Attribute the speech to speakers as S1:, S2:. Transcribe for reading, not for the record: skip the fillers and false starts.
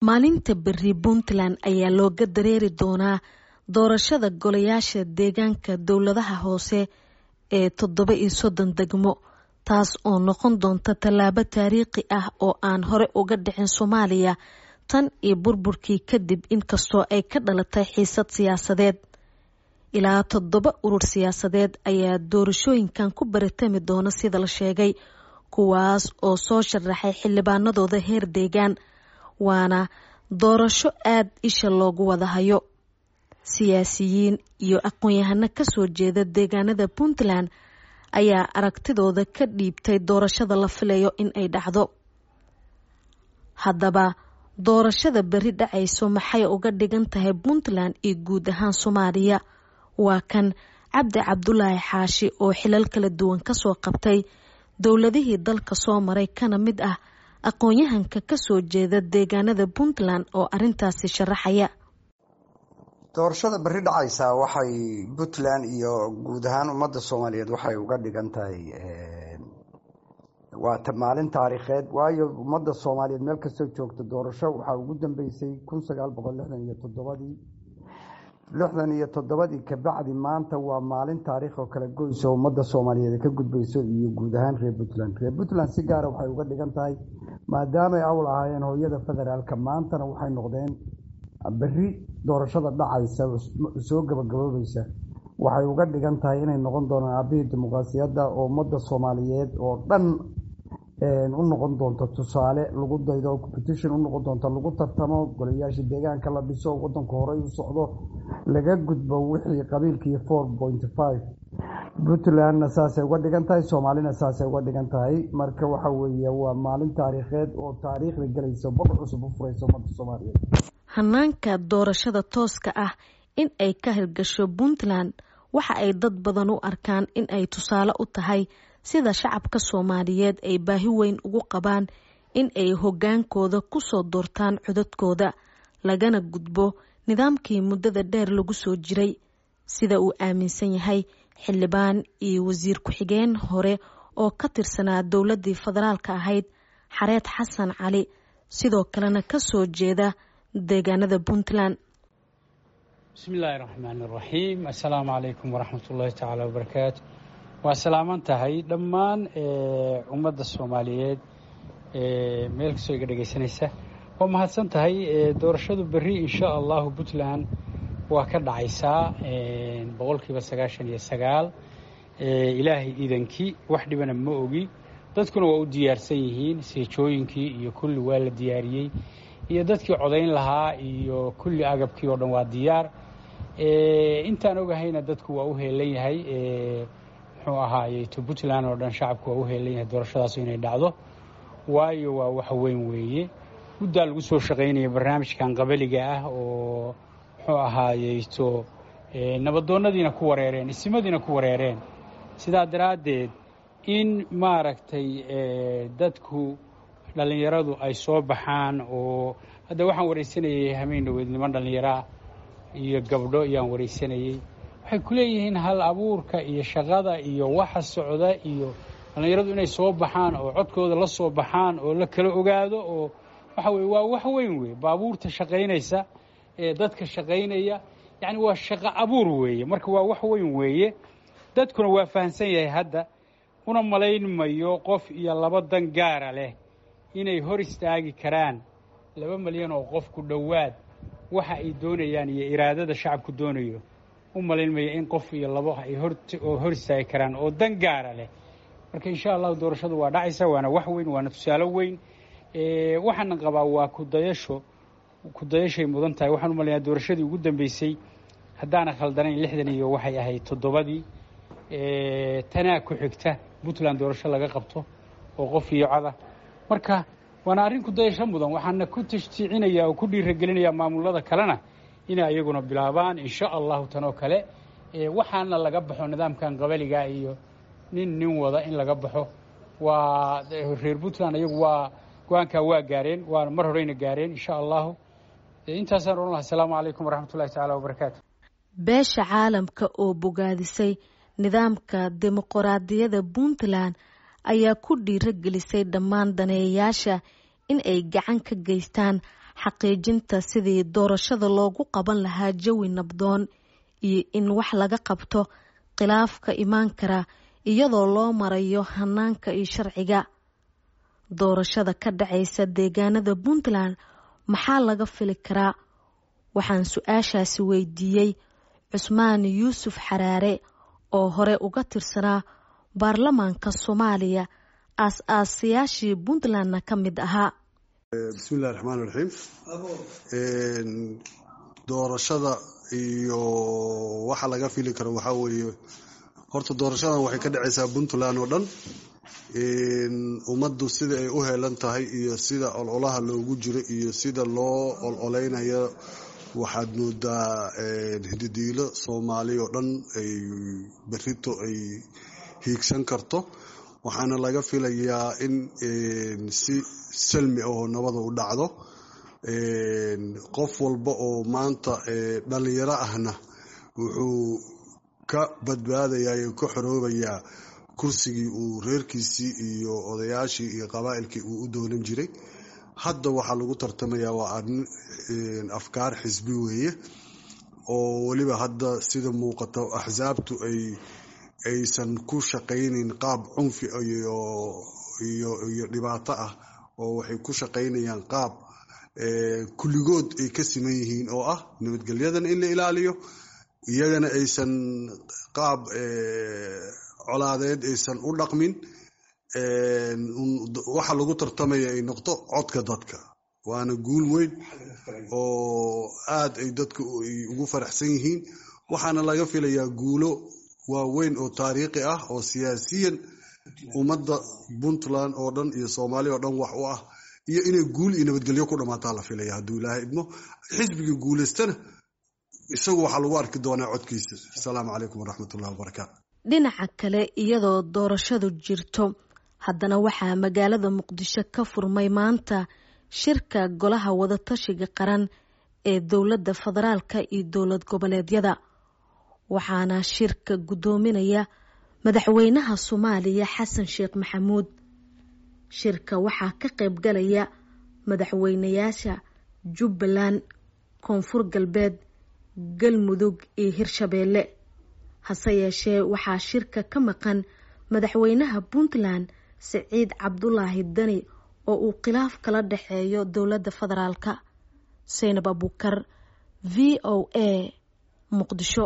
S1: Maalinta berri Puntland ayaa looga dareeri doonaa doorashada golayaasha deegaanka dowladaha hoose ee 37 degmo, taas oo noqon doonta tallaabo taariikhi ah oo aan hore uga dhicin Soomaaliya tan iyo burburkii kadib, inkastoo ay ka dhalatay xiisad siyaasadeed. Ilaa 7 urur siyaasadeed ayaa doorashooyinkan ku baratami doona sida la sheegay, kuwaas oo soo sharaxay xildhibaanadooda heer deegaan, waana doorasho aad isha loogu wada hayo. Siyaasiyiin iyo aqoon-yahano kasoo jeeda deegaanada Puntland ayaa aragtidooda ka dhiibtay doorashada la filayo in ay dhacdo. Haddaba, doorashada berri dhacayso maxay uga dhigan tahay Puntland iyo guud ahaan Soomaaliya? Waa kan Cabdi Cabdulaahi Xaashi oo xilal kala duwan kasoo qabtay dowladihii dalka soo maray, kana mid ah aqoon-yahanka kasoo jeeda deegaanada Puntland oo arintaasi sharaxaya.
S2: Doorashada berri dhacaysaa waxay Puntland iyo guud ahaan ummadda Soomaaliyeed waxay uga dhigan tahay waa maalin taariikheed, waayo ummadda Soomaaliyeed meel kastoo joogta doorasho waxaa ugu dambeysay 1967-dii. 67-dii kabacdi maanta waa maalin taariikh oo kala goyso ummadda Soomaaliyeed ay ka gudbayso iyo guud ahaan reer Puntland. Reer Puntland si gaara waxay uga dhigan tahay maadaamay awl ahaayeen hooyada federaalka, maantana waxay noqdeen berri doorashada dhacaysa soo gabagaboobaysa waxay uga dhigan tahay inay noqon doonaan aabbihii dimuqraasiyadda oo ummadda Soomaaliyeed oo dhan u noqon doonto tusaale lagu daydo, competition u noqon doonto lagu tartamo, golayaasha deegaanka la dhiso, wadanku horey u socdo, laga gudbo wixii qabiilkii 4.5. Puntlandna saasay uga dhigan tahay, Soomaalina saasay uga dhigan tahay. Marka waxa weeye waa maalin taariikheed oo taariikhda gelaysa, bog cusub u furaysa ummadda Soomaaliyeed.
S1: Hanaanka doorashada tooska ah in ay ka hirgasho Puntland waxa ay dad badan u arkaan in ay tusaale u tahay sida shacabka Soomaaliyeed ay baahi weyn ugu qabaan in ay hoggaankooda kusoo doortaan codadkooda, lagana gudbo nidaamkii muddada dheer lagu soo jiray, sida uu aaminsan yahay xildhibaan iyo wasiir ku-xigeen hore oo ka tirsanaa dowladdii federaalka ahayd, Xareed Xasan Cali, sidoo kalena kasoo jeeda deegaanada Puntland.
S3: Bismi illaahi raxmaan iraxiim. Assalaamu calaykum waraxmat ullaahi tacaala wabarakaatu. Waa salaaman tahay dhammaan ummadda Soomaaliyeed meel kastoo iga dhegaysanaysa. Waa mahadsan tahay. Doorashadu berri insha allahu Puntland waa ka dhacaysaa 99%, ilaahay iidankii, wax dhibana ma ogi. Dadkuna waa u diyaarsan yihiin, seejooyinkii iyo kulli waa la diyaariyey, iyo dadkii codayn lahaa iyo kulli agabkii oo dhan waa diyaar. Intaan ogahayna dadku waa u heelan yahay, muxuu ahaayey to Puntland oo dhan shacabku waa u heelan yahay doorashadaasu inay dhacdo, waayo waa wax weyn weeye. Muddaa lagu soo shaqaynaya barnaamijkan qabaliga ah oo muxuu ahaayey to nabadoonnadiina ku wareereen, isimadiina ku wareereen. Sidaa daraaddeed in maaragtay dadku dhallinyaradu ay soo baxaan, oo hadda waxaan waraysanayay hameen dhaweyd niman dhallinyaraa iyo gabdho ayaan waraysanayey, waxay ku leeyihiin hal abuurka iyo shaqada iyo waxa socda iyo dhallinyaradu inay soo baxaan oo codkooda la soo baxaan oo la kala ogaado, oo waxa weye waa wax weyn weeye. Baabuurta shaqaynaysa ee dadka shaqaynaya, yacni waa shaqo abuur weeye. Marka waa wax weyn weeye, dadkuna waa fahamsan yahay hadda. Una malayn mayo qof iyo laba dan gaara leh inay hor istaagi karaan 2 malyan oo qof ku dhowaad waxa ay doonayaan iyo iraadada shacabku doonayo. U malayn mayo in qof iyo labo ay hor istaagi karaan oo dan gaara leh. Marka insha allahu doorashadu waa dhacaysa, waana wax weyn, waana tusaale weyn. Waxaana qabaa waa kudayasho, kudayashay mudan tahay. Waxaan u malaynayaa doorashadii ugu dambeysay, haddaana khaldanayn, lixdan iyo waxay ahayd toddobadii. Tanaa ku xigta Puntland doorasho laga qabto oo qof iyo cada. Marka waana arrin kudayasho mudan. Waxaana ku tashjiicinayaa oo ku dhiiragelinayaa maamulada kalena inay ayaguna bilaabaan insha allahu tanoo kale. Waxaana laga baxo nidaamkan qabaliga iyo nin nin wada in laga baxo. Waa reer Puntland ayagu waa go-aankaa waa gaareen, waana mar horeyna gaareen insha allahu. Intaasaan ohan laha. Asalaamu calaykum waraxmat ullahi tacaala wabarakaatu.
S1: Beesha caalamka oo bogaadisay nidaamka dimuqraadiyadda Puntland ayaa ku dhiiragelisay dhammaan daneeyayaasha in ay gacan ka geystaan xaqiijinta sidii doorashada loogu qaban lahaa jawi nabdoon iyo in wax laga qabto khilaafka imaan kara iyadoo loo marayo hanaanka iyo sharciga. Doorashada ka dhacaysa deegaanada Puntland maxaa laga fili karaa? Waxaan su-aashaasi weydiiyey Cusmaan Yuusuf Xaraare oo hore uga tirsanaa baarlamaanka Soomaaliya, aas-aasayaashii Puntlandna ka mid ahaa.
S4: Bismillahi raxmaan raxiim. Doorashada iyo waxa laga fili karo waxaa weeye, horta doorashadan waxay ka dhacaysaa Puntland oo dhan. Ummaddu sida ay u heelan tahay iyo sida ololaha loogu jiro iyo sida loo ololeynayo, waxaad moodaa hididiilo Soomaali oo dhan ay berrito ay hiigsan karto. Waxaana laga filayaa in si salmi oo nabada u dhacdo. Qof walba oo maanta dhalinyaro ahna wuxuu ka badbaadayaa oo ka xoroobayaa kursigii uu reerkiisii iyo odayaashii iyo qabaa'ilkii uu u doonan jiray. Hadda waxaa lagu tartamayaa waa arrin afkaar xisbi weeye, oo weliba hadda sida muuqato axsaabtu aysan ku shaqaynayn qaab cunfi iyo dhibaato ah, oo waxay ku shaqaynayaan qaab kulligood ay ka siman yihiin oo ah nabadgelyadana in la ilaaliyo, iyagana aysan qaab colaadeed aysan u dhaqmin. Waxa lagu tartamaya ay noqdo codka dadka, waana guul weyn oo aad ay dadku ugu faraxsan yihiin. Waxaana laga filayaa guulo waaweyn oo taariikhi ah oo siyaasiyan ummadda Puntland oo dhan iyo Soomaaliya oo dhan wax u ah, iyo inay guul iyo nabadgelyo ku dhammaataa la filaya hadduu Ilaahay idmo. Xisbiga guulaystana isagu waxaa lagu arki doonaa codkiisa. Asalaamu calaykum waraxmatullahi wabarakaatu.
S1: Dhinaca kale, iyadoo doorashadu jirto, haddana waxaa magaalada Muqdisho ka furmay maanta shirka golaha wadatashiga qaran ee dowladda federaalka iyo dowlad goboleedyada, waxaana shirka guddoominaya madaxweynaha Soomaaliya Xasan Sheekh Maxamuud. Shirka waxaa ka qayb galaya madaxweynayaasha Jubbaland, Koonfur Galbeed, Galmudug iyo Hirshabeelle. Hase yeeshee waxaa shirka ka maqan madaxweynaha Puntland Siciid Cabdulaahi Dani oo uu khilaaf kala dhexeeyo dowladda federaalka. Seynab Abuukar, VOA, Muqdisho.